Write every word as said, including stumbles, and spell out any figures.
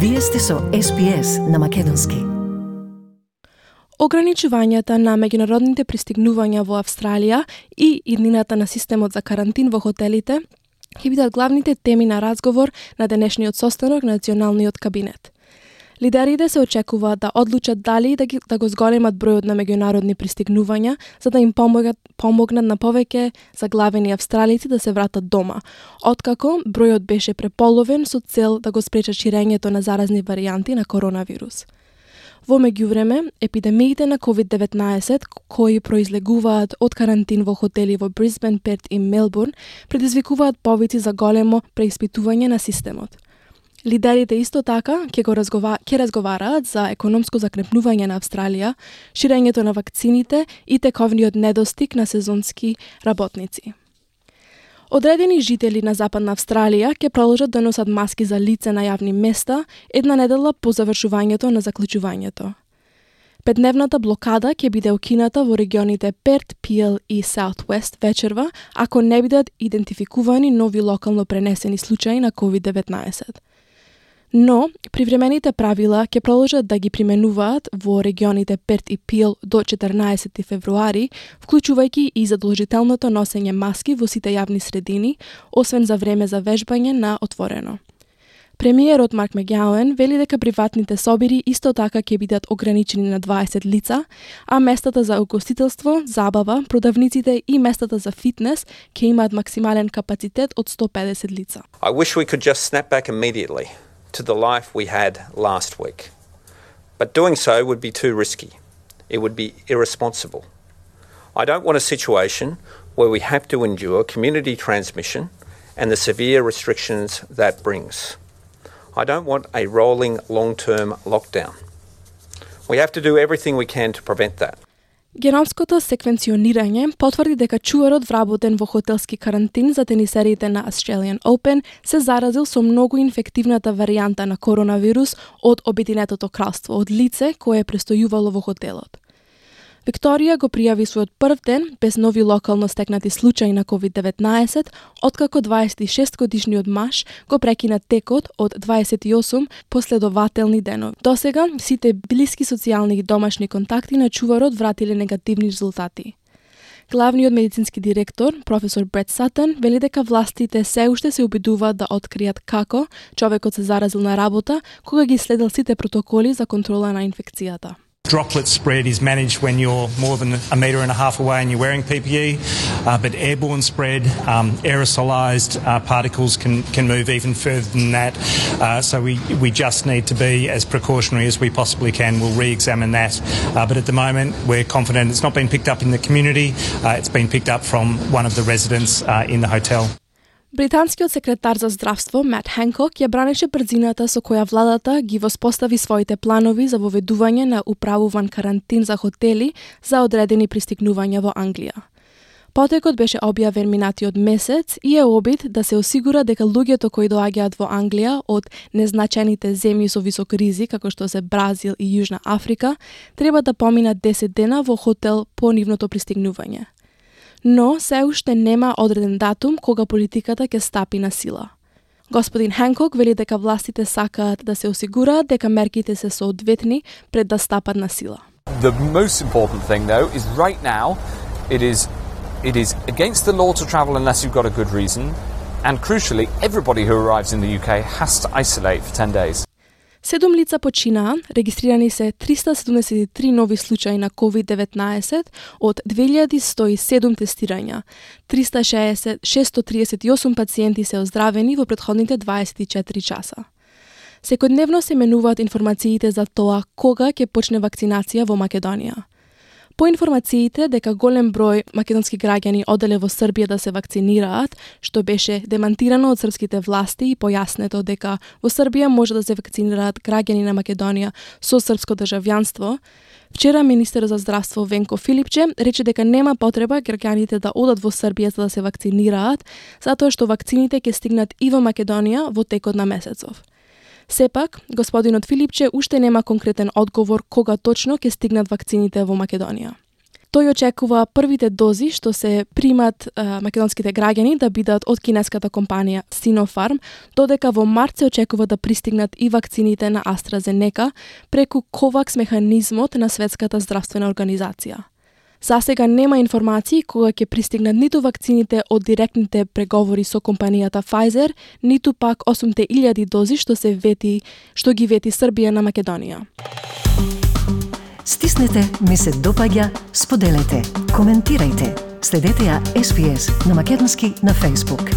Вие сте со Ес Би Ес на Македонски. Ограничувањата на меѓународните пристигнувања во Австралија и иднината на системот за карантин во хотелите ќе бидат главните теми на разговор на денешниот состанок на Националниот кабинет. Лидерите се очекуваат да одлучат дали да, ги, да го зголемат бројот на меѓународни пристигнувања, за да им помогат, помогнат на повеќе заглавени австралици да се вратат дома, откако бројот беше преполовен со цел да го спречат ширењето на заразни варијанти на коронавирус. Во меѓувреме, епидемиите на ковид деветнаесет, кои произлегуваат од карантин во хотели во Брисбен, Перт и Мелбурн, предизвикуваат повици за големо преиспитување на системот. Лидерите исто така ќе го разгова... ќе разговараат за економско закрепнување на Австралија, ширењето на вакцините и тековниот недостиг на сезонски работници. Одредени жители на Западна Австралија ќе продолжат да носат маски за лице на јавни места една недела по завршувањето на заклучувањето. Петдневната блокада ќе биде укината во регионите Перт, Пиел и Саут Уест вечерва, ако не бидат идентификувани нови локално пренесени случаи на ковид деветнаесет. Но, привремените правила ќе продолжат да ги применуваат во регионите Перт и Пиел до четрнаесети февруари, вклучувајќи и задолжителното носење маски во сите јавни средини, освен за време за вежбање на отворено. Премиерот Марк Мегауен вели дека приватните собири исто така ќе бидат ограничени на дваесет лица, а местата за угостителство, забава, продавниците и местата за фитнес ќе имаат максимален капацитет од сто педесет лица. I wish we could just snap back immediately to the life we had last week. But doing so would be too risky. It would be irresponsible. I don't want a situation where we have to endure community transmission and the severe restrictions that brings. I don't want a rolling long-term lockdown. We have to do everything we can to prevent that. Геномското секвенционирање потврди дека чуварот вработен во хотелски карантин за тенисерите на Australian Open се заразил со многу инфективната варијанта на коронавирус од Обединетото кралство од лице кое е престојувало во хотелот. Викторија го пријави својот прв ден без нови локално стекнати случаи на ковид деветнаесет, откако дваесет и шест годишниот маж го прекина текот од дваесет и осум последователни денови. Досега, сите блиски социјални и домашни контакти на чуварот вратиле негативни резултати. Главниот медицински директор, професор Брет Сатън, вели дека властите се уште се обидуваат да откријат како човекот се заразил на работа, кога ги следел сите протоколи за контрола на инфекцијата. Droplet spread is managed when you're more than a metre and a half away and you're wearing P P E, uh, but airborne spread, um, aerosolised uh, particles can, can move even further than that. Uh, so we, we just need to be as precautionary as we possibly can. We'll re-examine that. Uh, but at the moment, we're confident it's not been picked up in the community. Uh, it's been picked up from one of the residents uh, in the hotel. Британскиот секретар за здравство Мат Хенкок ја бранеше брзината со која владата ги воспостави своите планови за воведување на управуван карантин за хотели за одредени пристигнувања во Англија. Потекот беше објавен минатиот месец и е обид да се осигура дека луѓето кои доаѓаат во Англија од незначените земји со висок ризик, како што се Бразил и Јужна Африка, треба да поминат десет дена во хотел по нивното пристигнување. Но се уште нема одреден датум кога политиката ќе стапи на сила. Господин Хенкок вели дека властите сакаат да се осигураат дека мерките се соодветни пред да стапат на сила. The most important thing though is right now it is it is against the law to travel unless you've got a good reason, and crucially everybody who arrives in the U K has to isolate for ten days. Седум лица починаа, регистрирани се триста седумдесет и три нови случаи на ковид деветнаесет од две илјади сто и седум тестирања. триста шесто триесет и осум пациенти се оздравени во претходните дваесет и четири часа. Секојдневно се менуваат информациите за тоа кога ќе почне вакцинација во Македонија. По информациите дека голем број македонски граѓани оделе во Србија да се вакцинираат, што беше демантирано од српските власти и појаснето дека во Србија може да се вакцинираат граѓани на Македонија со српско државјанство, вчера министер за здравство Венко Филипче рече дека нема потреба граѓаните да одат во Србија за да се вакцинираат, затоа што вакцините ќе стигнат и во Македонија во текот на месецов. Сепак, господинот Филипче уште нема конкретен одговор кога точно ќе стигнат вакцините во Македонија. Тој очекува првите дози што се примат а, македонските граѓани да бидат од кинеската компанија Sinopharm, додека во март се очекува да пристигнат и вакцините на AstraZeneca преку COVAX механизмот на Светската здравствена организација. За сега нема информации кога ќе пристигнат ниту вакцините од директните преговори со компанијата Pfizer, ниту пак осумте илјади дози што се вети, што ги вети Србија на Македонија. Стиснете, ми се допаѓа, споделете, коментирајте. Следете ја Ес Би Ес на македонски на Facebook.